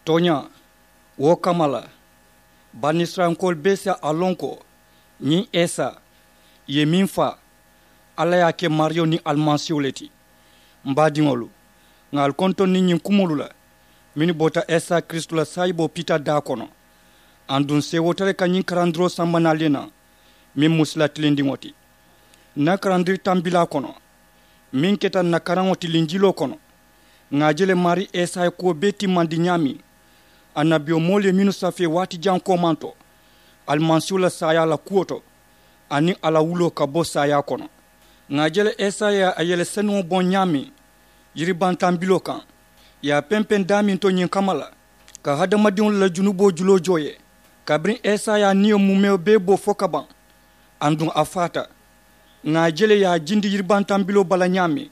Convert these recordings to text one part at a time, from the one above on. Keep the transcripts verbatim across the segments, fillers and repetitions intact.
Tooñaa, wo kamma la banisirayilankoolu bee si a loŋ ko ñiŋ isa ì ye meŋ faa, alla ye a ke maariyo niŋ alimasiiwo le ti. M baadiŋolu, ŋà ali kontondi ñiŋ kumoolu la mennu bota isa kiristu la saayiboo piita daa kono. Aduŋ seewoota le ka ñiŋ karandiroo samba naali ye naa, meŋ mu sila tilindiŋo ti. N na karandiri tambilaa kono meŋ keta n na karaŋo ti linjiloo kono, ŋà a je le maarii isa ye kuwo bee timmandi ñaameŋ annabiyomoolu ye mennu safee waati jaŋ koomaŋ to alimasiiwo la saayaa la kuwo to, aniŋ a la wuloo ka bo saayaa kono. Ŋà a je le isa ye a yele senuŋo boŋ ñaameŋ yiribaŋ tambiloo kaŋ, ì ye a pempeŋ daameŋ to ñiŋ kamma la, ka hadamadiŋolu la junuboo juloo joo ye. Kabiriŋ isa ye a niyo muumewo bee bo fo ka baŋ, aduŋ a faata. Ŋà a je le ì ye a jindi yiribaŋ tambiloo bala ñaameŋ,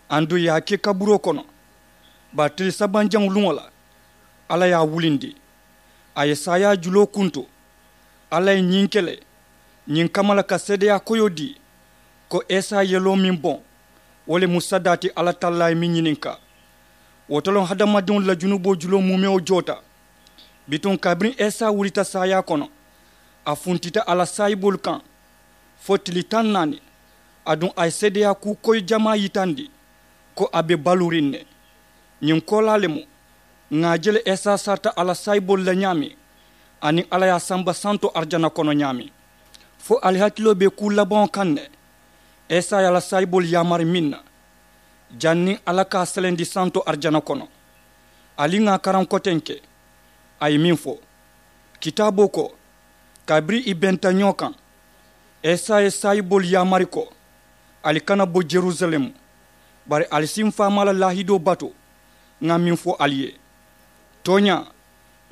aduŋ ì ye a ke kaburoo kono. Bari tili sabanjaŋo luŋo la, alla ye a wulindi. A ye saayaa juloo kuntu. Alla ye ñiŋ ke le ñiŋ kamma la ka seedeyaa koyoo dii, ko isa ye yeloo meŋ boŋ, wo le mu sadaa ti alla tallaa ye meŋ ñininkaa. Wo to loŋ hadamadiŋolu la junuboo juloo muumewo joota. Bituŋ kabiriŋ isa wulita saayaa kono, a funtita a la saayiboolu kaŋ fo tili taŋ naani. Aduŋ a ye seedeyaa kuu koyi jamaa yitandi ko a be baluuriŋ ne. Ñiŋ koolaa le mu, ŋà a je le isa sarita a la saayiboolu la ñaameŋ, aniŋ alla ye a samba santo arijana kono ñaameŋ. Fo ali hakiloo be kuu labaŋo kaŋ ne, isa ye a la saayiboolu yaamari meŋ na, janniŋ alla ka a selendi santo arijana kono. Ali ŋà a karaŋ kotenke, a ye meŋ fo kitaaboo ko, kabiriŋ ì benta ñoo kaŋ, isa ye saayiboolu yaamari ko, ali kana bo jerusalemu, bari ali si m faamaa la laahidoo batu. Ŋà meŋ fo ali ye, tooñaa,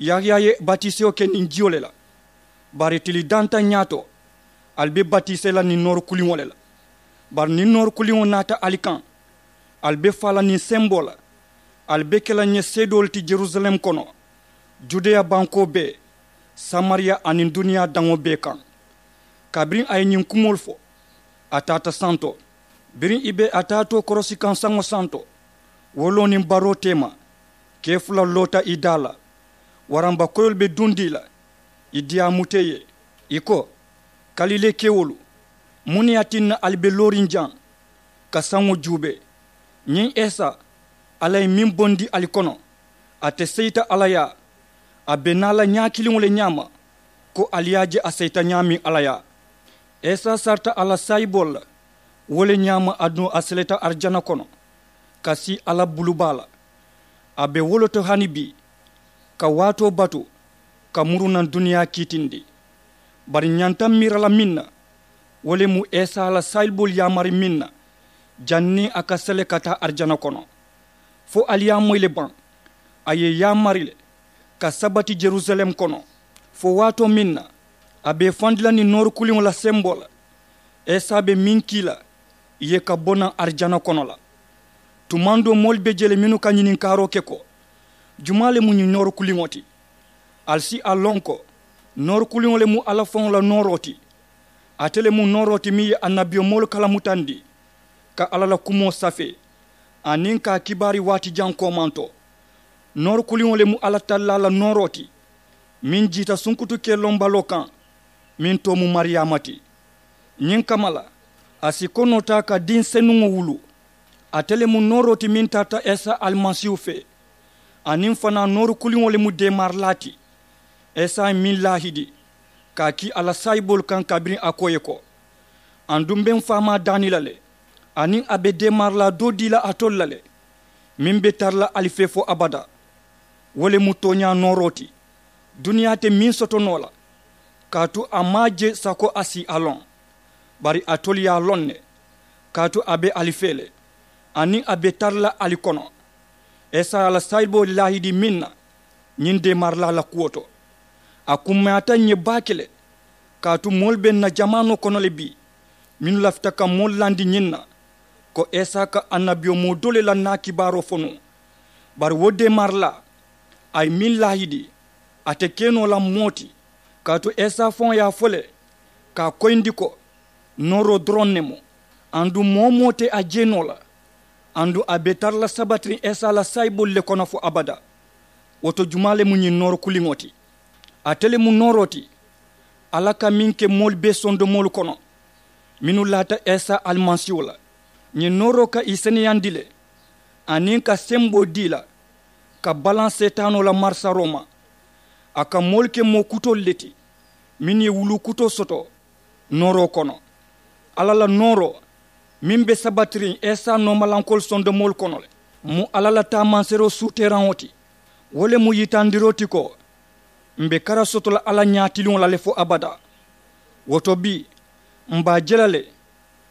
yahaya ye batisewo ke niŋ jiyo le la, bari tili dantaŋ ñaato ali be batisee la niŋ noori kuliŋo le la. Bari niŋ noori kuliŋo naata ali kaŋ, ali be faa la niŋ semboo la, ali be ke la ǹ ye seedoolu ti jerusalem kono, judeya bankoo bee, samariya aniŋ duniyaa daŋo bee kaŋ. Kabiriŋ a ye ñiŋ kumoolu fo, a taata santo. Biriŋ ì be a taatoo korosi kaŋ saŋo santo, wo loo niŋ baroo teema, kee fula loota ì daa la. Waramba koyoolu be duŋ dii la, ì diyaamuta ì ye. Ì ko, kalilee kewolu, muŋ ne ye a tinna ali be looriŋ jaŋ ka saŋo juubee? Ñiŋ esa, alla ye meŋ bondi ali kono, ate seyita alla yaa. A be naa la ñaa kiliŋo le ñaama, ko ali ye a je a seyita ñaameŋ alla yaa. Esa sarita a la saayiboolu la, wo le ñaama aduŋ a seleta arijana kono, ka sii alla bulubaa la. A be wo le to hani bii, ka waatoo batu, ka muru naŋ duniyaa kiitindi. Bari ǹ ñanta miira la meŋ na, wo le mu esa la saayiboolu yaamari meŋ na, janniŋ a ka sele ka taa arijana kono. Fo ali ye a moyi le baŋ, a ye yaamari le ka sabati jerusalem kono, fo waatoo meŋ na a be i fandi la niŋ noori kuliŋo la semboo la. Esa be meŋ kii la ì ye ka bo naŋ arijana kono la. Tumaŋ doo moolu be jee le mennu ka ñininkaaroo ke ko, jumaa le mu ñiŋ noori kuliŋo ti? Ali si a loŋ ko noori kuliŋo le mu alla faŋo la nooroo ti. Ate le mu nooroo ti meŋ ye annabiyomoolu kalamutandi, ka alla la kumoo safee, aniŋ ka a kibaari waati jaŋ koomanto. Noori kuliŋo le mu alla tallaa la nooroo ti, meŋ jiita sunkutu kee lombaloo kaŋ, meŋ too mu mariyaama ti. Ñiŋ kamma la, a si konoo taa ka diŋ senuŋo wuluu. Ate le mu nooroo ti meŋ tarata esa alimasiihu fee, aniŋ fanaa noori kuliŋo le mu deemaarilaa ti. Esa ye meŋ laahidi ka a kii a la saayiboolu kaŋ kabiriŋ a ko ì ye ko, aduŋ m be m faamaa daani la le, aniŋ a be deemaarilaa doo dii la alitolu la le, meŋ be tara la ali fee fo abadaa. Wo le mu tooñaa nooroo ti, duniyaa te meŋ soto noo la, kaatu a maŋ a je sako a si a loŋ. Bari alitolu ye a loŋ ne, kaatu a be ali fee le, aniŋ a be tara la ali kono. Esa ye a la saayiboo laahidi meŋ na, ñiŋ deemaarilaa la kuwo to, a kummayaata ǹ ye baake le. Kaatu moolu be ǹ na jamaanoo kono le bii, mennu lafita ka moolu landi ñiŋ na, ko esa ka annabiyomoo doo le la naa kibaaroo fo nuŋ. Bari wo deemaarilaa, a ye meŋ laahidi, a te ke noo la moo ti. Kaatu esa faŋo ye a fo le, ka a koyindi ko, nooroo doroŋ ne mu, aduŋ moo-wo-moo te a je noo la. Aduŋ a be tara la sabatiriŋ esa la saayiboolu le kono fo abadaa. Wo to jumaa le mu ñiŋ nooro kuliŋo ti? Ate le mu nooroo ti alla ka meŋ ke moolu bee sondomoolu kono mennu laata isa alimasiiwo la. Ñiŋ nooroo ka ì seneyandi le aniŋ ka semboo dii la ka balaŋ seetaanoo la marisaroo ma. A ka moolu ke moo kutoolu le ti mennu ye wuluu kutoo soto nooroo kono. Alla la nooroo meŋ be sabatiriŋ isa noomalankoolu sondomoolu kono le mu alla la taamanseeroo suuteeraŋo ti. Wo le mu yitandiroo ti ko m̀ be kara soto la alla ñaatiliŋo la le fo abadaa. Wo to bii m̀ be a je la le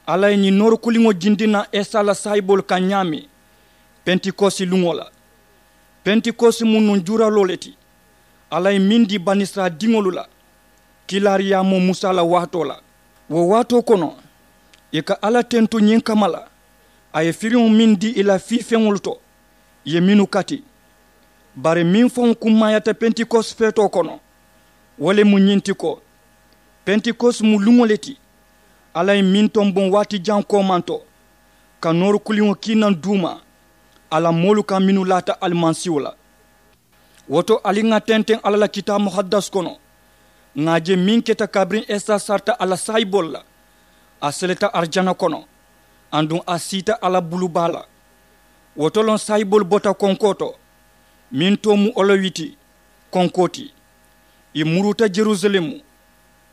alla ye ñiŋ noori kuliŋo jindi naŋ isa la saayiboolu kaŋ ñaameŋ pentikosi luŋo la. Pentikosi mu nuŋ juuraloo le ti alla ye meŋ dii banisirayila diŋolu la kiilaariyaamoo musa la waatoo la. Wo waatoo kono ì ka alla tentu ñiŋ kamma la a ye firiŋo meŋ dii ì la fiifeŋolu to ì ye mennu kati. Bari meŋ faŋo kummaayaata pentikosi feetoo kono wo le mu ñiŋ ti ko pentikosi mu luŋo le ti alla ye meŋ tomboŋ waati jaŋ koomanto ka noori kuliŋo kii naŋ duuma a la moolu kaŋ mennu laata alimasiiwo la. Wo to ali ŋà tenteŋ alla la kitaabu muhaddas kono ŋà a je meŋ keta kabiriŋ isa sarita a la saayiboolu la. A seleta arijana kono aduŋ a siita alla bulu baa la. Wo to loŋ saayiboolu bota konkoo to meŋ too mu olowiti konkoo ti. Ì muruuta jerusalemu.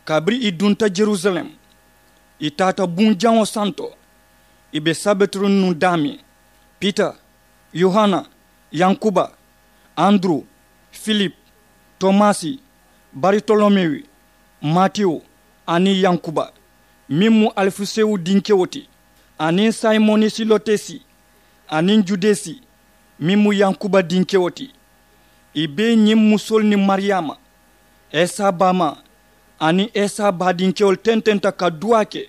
Kabiriŋ ì dunta jerusalemu ì taata buŋ jaŋo santo. Ì be sabitiriŋ nuŋ daameŋ pita, yohana, yankuba, anduru, filipu, tomasi, baritolomewu, matiyu, aniŋ yankuba meŋ mu alifisewu dinkewo ti, aniŋ simoni silotesi, aniŋ judesi meŋ mu yankuba dinkewo ti. Ì bee ñiŋ musoolu niŋ mariyaama, isa baamaa, aniŋ isa baadinkewolu tententa ka duwaa ke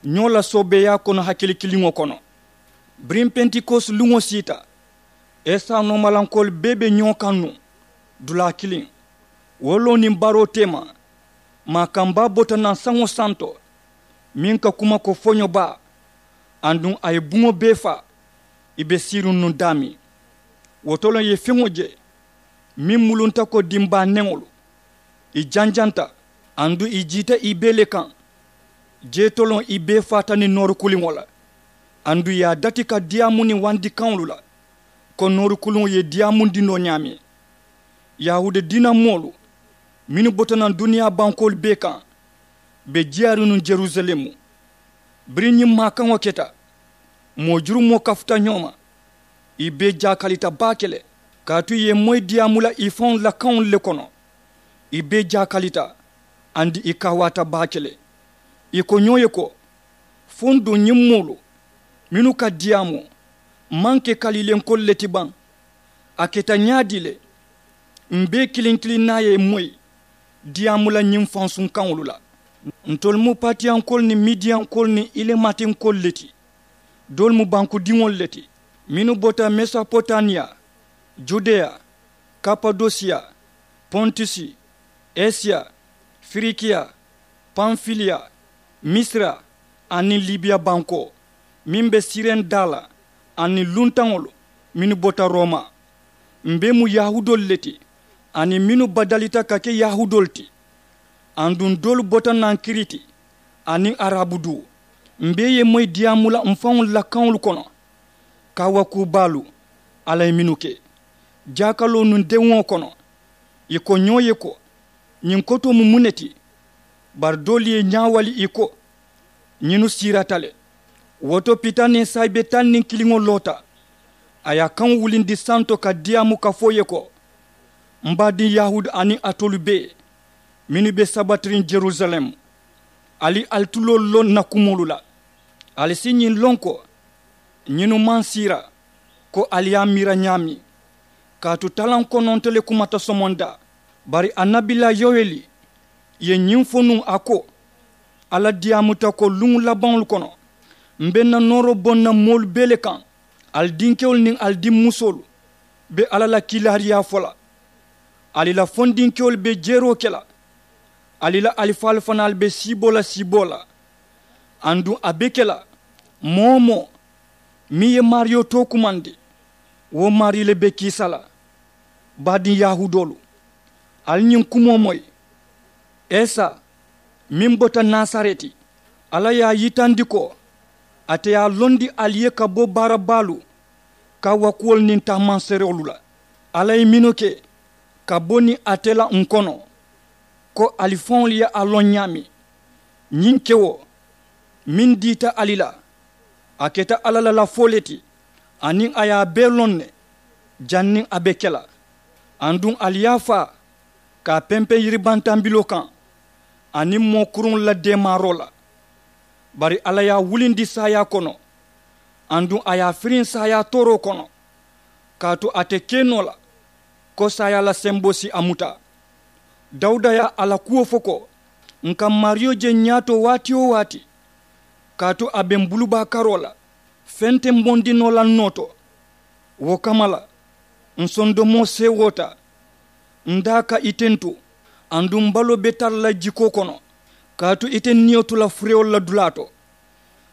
ñoo la soobeeyaa kono hakili kiliŋo kono. Biriŋ pentikosi luŋo siita isa noomalankoolu bee be ñoo kaŋ nuŋ dulaa kiliŋ. Wo loŋ niŋ baroo teema, maakambaa bota naŋ saŋo santo meŋ ka kuma ko foño baa, aduŋ a ye buŋo bee faa. Ì be siiriŋ nuŋ daameŋ wo to loŋ ì ye feŋo je meŋ mulunta ko dimbaa neŋolu. Ì janjanta aduŋ ì jiita ì bee le kaŋ. Jee to loŋ ì bee faata niŋ noori kuliŋo la. Aduŋ ì ye a dati ka diyaamu niŋ wandi kaŋolu la ko noori kuliŋo ye diyaamundi noo ñaameŋ. Yahuuda diina moolu mennu bota naŋ duniyaa bankoolu bee kaŋ be jiyaariŋ nuŋ jerusalemu. Biriŋ ñiŋ maakaŋo keta moo jurumoo kafuta ñoo ma. Ì bee jaakalita baake le kaatu ì ye moyi diyaamu la ì faŋolu la kaŋolu le kono. Ì bee jaakalita aduŋ ì kaawaata baake le. Ì ko ñoo ye ko fo n duŋ ñiŋ moolu mennu ka diyaamu maŋ ke kaliilenkoolu le ti baŋ? A keta ñaadii le? M̀ bee kiliŋ kiliŋ naa ye moyi diyaamu la ñiŋ fansuŋ kaŋolu la. Ntolu mu patiyankoolu niŋ midiyankoolu niŋ ilematinkoolu le ti. Doolu mu bankudiŋolu le ti mennu bota mesopotamiya, judeya, kapadosiya, pontusi, esiya, firikiya, panfiliya, misira, aniŋ libiya bankoo meŋ be siriŋ daa la, aniŋ luntaŋolu mennu bota roma. M̀ bee mu yahuudoolu le ti aniŋ mennu badalita ka ke yahuudoolu ti. Aduŋ doolu bota naŋ kiriti aniŋ arabu duu. M̀ bee ye moyi diyaamu la m̀ faŋolu la kaŋolu kono. Kaawakuu baalu alla ye mennu ke jaakaloo nuŋ dewuŋo kono. Ì ko ñoo ye ko ñiŋ kotoo mu muŋ ne ti? Bari doolu ye ñaawali ì ko ñinnu siirata le. Wo to pita niŋ saayibe taŋ niŋ kiliŋo loota. A ye a kaŋo wulindi santo ka diyaamu ka fo ì ye ko, m baadiŋ yahuudu aniŋ alitolu bee mennu be sabatiriŋ jerusalem, ali ali tuloolu loŋ n na kumoolu la. Ali si ñiŋ loŋ ko ñinnu maŋ siira ko ali ye a miira ñaameŋ. Kaatu talaŋ kononto le kumata somondaa. Bari annabilaa yoweli ye ñiŋ fo nuŋ a ko, alla diyaamuta ko luŋ labaŋolu kono m be n na nooroo boŋ na moolu bee le kaŋ. Ali dinkewolu niŋ ali dimmusoolu be alla la kiilaariyaa fo la. Ali la fondinkewolu be jeeroo ke la. Ali la alifaalu fanaalu be siiboo la siiboo la. Aduŋ a be ke la moo-wo-moo meŋ ye maariyo tookumandi, wo maarii le be kiisa la. Baadiŋ yahuudoolu, ali ñiŋ kumoo moyi. Esa meŋ bota nasareti, alla ye a yitandi ko ate ye a londi ali ye ka bo baara baalu kawakuwolu niŋ taamanseeroolu la. Alla ye mennu ke ka bo niŋ ate la ǹ kono, ko ali faŋolu ye a loŋ ñaameŋ. Ñiŋ kewo meŋ diita ali la, a keta alla la lafoo le ti, aniŋ a ye a bee loŋ ne janniŋ a be ke la. Aduŋ ali ye a faa ka a pempeŋ yiribantambiloo kaŋ aniŋ moo kuruŋolu la deemaaroo la. Bari alla ye a wulindi saayaa kono, aduŋ a ye a firiŋ saayaa tooroo kono, kaatu a te ke noo la ko saayaa la semboo si a muta. Dawuda ye a la kuwo fo ko, ǹ ka maariyo je ñaato waati-wo-waati, kaatu a be m bulubaa karoo la feŋ te m bondi noo la ǹ noo to. Wo kamma la, ǹ sondomoo seewoota, ǹ daa ka i tentu, aduŋ m baloo be tara la jikoo kono, kaatu ite niyo tu la furewolu la dulaa to.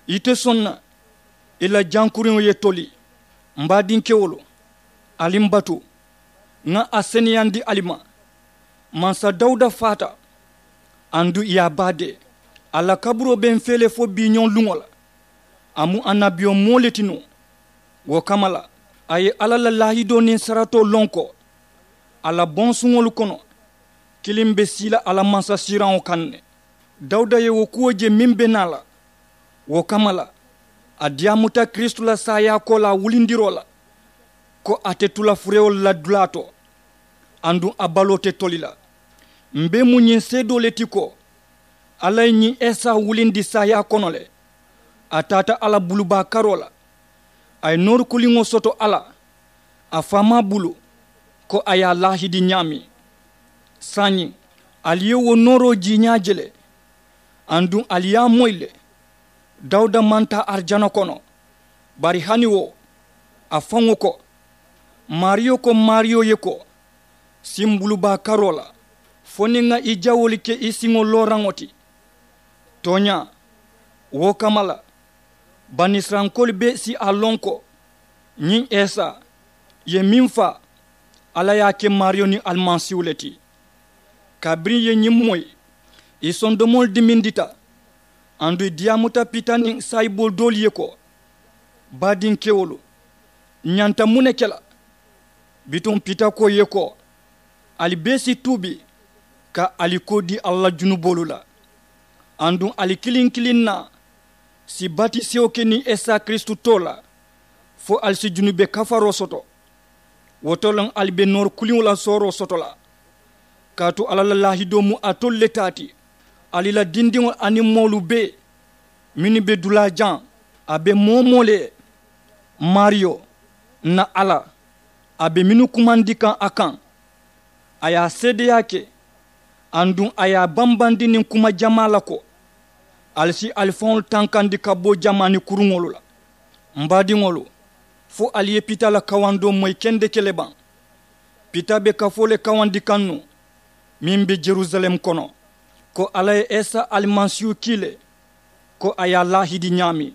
Ite soŋ na i la jankuriŋo ye toli. M baadinkewolu, ali m batu, ŋa a seneyandi ali ma. Mansa dawuda faata, aduŋ i ye a baadee. A la kaburoo be m fee le fo biiñoŋ luŋo la. A mu annabiyomoo le ti nuŋ. Wo kamma la, a ye alla la laahidoo niŋ saratoo loŋ ko a la bonsuŋolu kono, kiliŋ be sii la a la mansasiiraŋo kaŋ ne. Dawuda ye wo kuwo je meŋ be naa la. Wo kamma la, a diyaamuta kiristu la saayaa koolaa wulindiroo la, ko a te tu la furewolu la dulaa to, aduŋ a baloo te toli la. M be mu ñiŋ seedoo le ti ko alla ye ñiŋ esa wulindi saayaa kono le. A taata a la bulubaa karoo la, a ye noori kuliŋo soto a la a faamaa bulu, ko a ye a laahidi ñaameŋ. Saayiŋ, ali ye wo nooroo jiiñaa je le, aduŋ ali ye a moyi le. Dawuda maŋ taa arijana kono, bari hani wo, a faŋo ko, maariyo ko maariyo ye ko, si m bulubaa karoo la, fo niŋ ŋa i jawoolu ke i siŋo looraŋo ti. Tooñaa, wo kamma la, banisirayilankoolu bee si a loŋ ko ñiŋ esa ye meŋ faa, alla ye a ke maariyo niŋ alimasiihu le ti. Kabiriŋ ì ye ñiŋ moyi, ì sondomoolu dimindita, aduŋ ì diyaamuta pita niŋ saayiboolu doolu ye ko, baadinkewolu, ǹ ñanta muŋ ne ke la? Bituŋ pita ko ì ye ko, ali bee si tuubi ka ali koo dii alla la junuboolu la, aduŋ ali kiliŋ kiliŋ naa si batisewo ke niŋ esa kiristu too la, fo ali si junube kafaroo soto. Wo to le ali be noori kuliŋo la sooroo soto la, kaatu alla la laahidoo mu alitolu le taa ti, ali la dindiŋolu aniŋ moolu bee mennu be dulaa jaŋ. A be moo woo moo le ye, maariyo, ǹ na alla, a be mennu kumandi kaŋ a kaŋ, a ye a seedeyaa ke, aduŋ a ye a bambandi niŋ kuma jamaa la ko, ali si ali faŋolu tankandi ka bo jamaani kuruŋolu la. M baadiŋolu, fo ali ye pita la kawandoo moyi kendeke le baŋ? Pita be kafoo le kawandi kaŋ nuŋ, meŋ be yerusalem kono, ko alla ye esa alimasiihu kii le, ko a ye a laahidi ñaameŋ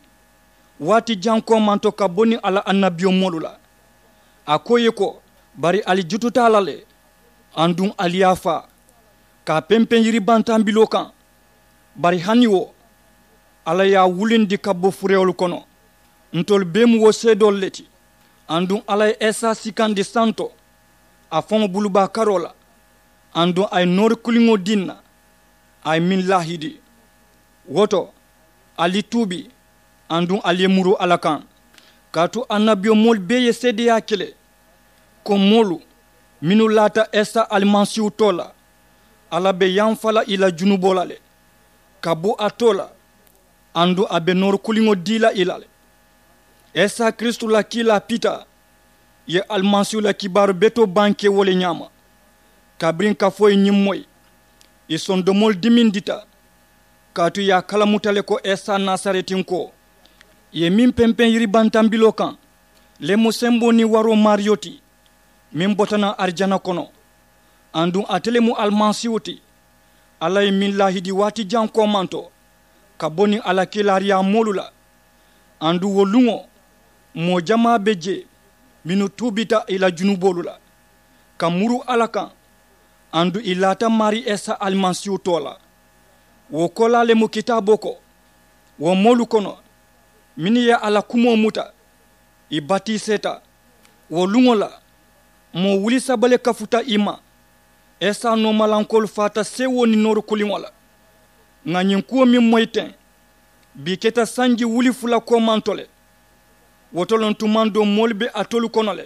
waati jaŋ koomanto ka bo niŋ a la annabiyomoolu la. A ko ì ye ko, bari ali jututa a la le, aduŋ ali ye a faa ka a pempeŋ yiribantambiloo kaŋ. Bari hani wo, alla ye a wulindi ka bo furewolu kono. Ntolu bee mu wo seedoolu le ti. Aduŋ alla ye esa sikandi santo a faŋo bulubaa karoo la, aduŋ a ye noori kuliŋo dii ǹ na, a ye meŋ laahidi. Wo to, ali tuubi, aduŋ ali ye muru alla kaŋ. Kaatu annabiyomoolu bee ye seedeyaa ke le, ko moolu mennu laata esa alimasiihu too la, alla be yamfa la ì la junuboo la le, ka bo a too la, aduŋ a be noori kuliŋo dii la ì la le. Esa kiristu la kiilaa pita ye alimasiihu la kibaaru betoo bankee wo le ñaama. Kabiriŋ kafoo ye ñiŋ moyi, ì sondomoolu dimindita, kaatu ì ye a kalamuta le ko esa nasaretinkoo, ì ye meŋ pempeŋ yiribantambiloo kaŋ, le mu semboo niŋ waroo maariyo ti, meŋ bota naŋ arijana kono. Aduŋ ate le mu alimasiihu ti, alla ye meŋ laahidi waati jaŋ koomanto ka bo niŋ a la kiilaariyaa moolu la. Aduŋ wo luŋo, moo jamaa be jee mennu tuubita ì la junuboolu la. Ka muru alla kaŋ, aduŋ ì laata maarii isa alimasiihu too la. Wo koolaa le mu kitaaboo ko, wo moolu kono mennu ye a la kumoo muta, ì batiiseeta. Wo luŋo la, moo wuli saba le kafuta ì ma. Isa noomalankoolu faata seewoo niŋ nooru kuliŋo la. Ŋà ñiŋ kuwo meŋ moyi teŋ, bii keta sanji wuli fula koomanto le. Wo to loŋ tumaŋ doo moolu be alitolu kono le,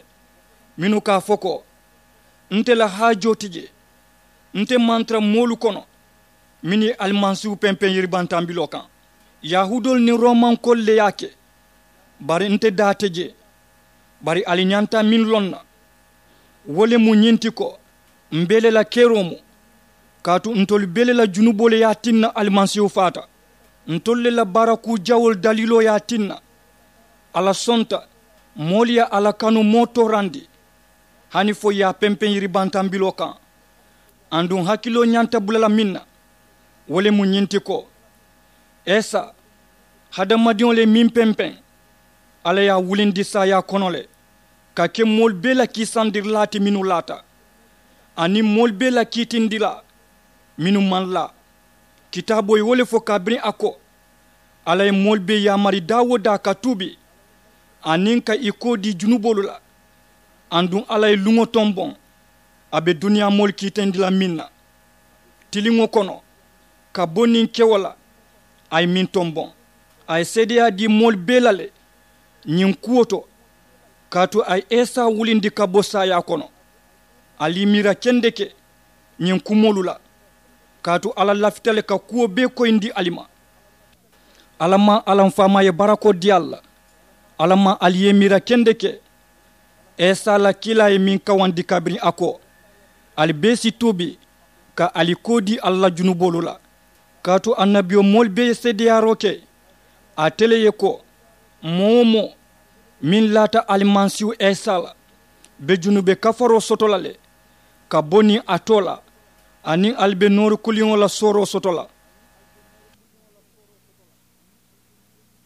mennu ka a fo ko, nte la haajoo ti jee. Nte maŋ tara moolu kono mennu ye alimasiihu pempeŋ yiribantambiloo kaŋ. Yahuudoolu niŋ roomankoolu le ye a ke. Bari nte daa te jee. Bari ali ñanta meŋ loŋ na, wo le mu ñiŋ ti ko, m̀ bee le la keroo mu. Kaatu ntolu bee le la junuboo le ye a tinna alimasiihu faata. Ntolu le la baara kuu jawoolu daliiloo ye a tinna, alla sonta moolu ye a la kanu moo toorandi, hani fo ì ye a pempeŋ yiribantambiloo kaŋ. Aduŋ hakiloo ñanta bula la meŋ na, wo le mu ñiŋ ti ko, isa, hadamadiŋo le ye meŋ pempeŋ, alla ye a wulindi saayaa kono le, ka ke moolu bee la kiisandirilaa ti mennu laata, aniŋ moolu bee la kiitindilaa mennu maŋ laa. Kitaaboo ye wo le fo kabiriŋ a ko, alla ye moolu bee yaamari daa-wo-daa ka tuubi, aniŋ ka ì koo dii junuboolu la. Aduŋ alla ye luŋo tomboŋ, a be duniyaa moolu kiitindi la meŋ na, tiliŋo kono, ka bo niŋ kewo la, a ye meŋ tomboŋ. A ye seedeyaa dii moolu bee la le ñiŋ kuwo to, kaatu a ye isa wulindi ka bo saayaa kono. Ali i miira kendeke ñiŋ kumoolu la, kaatu alla lafita le ka kuwo bee koyindi ali ma. Alla maŋ alla m faamaa ye barakoo dii ali la. Alla maŋ ali ye i miira kendeke isa la kiilaa ye meŋ kawandi kabiriŋ a ko, ali bee si tuubi, ka ali koo dii alla la junuboolu la. Kaatu annabiyomoolu bee ye seedeyaaroo ke ate le ye ko, moo-wo-moo meŋ laata alimasiihu isa la, be junube kafaroo soto la le, ka bo niŋ a too la, aniŋ ali be nooru kuliŋo la sooroo soto la.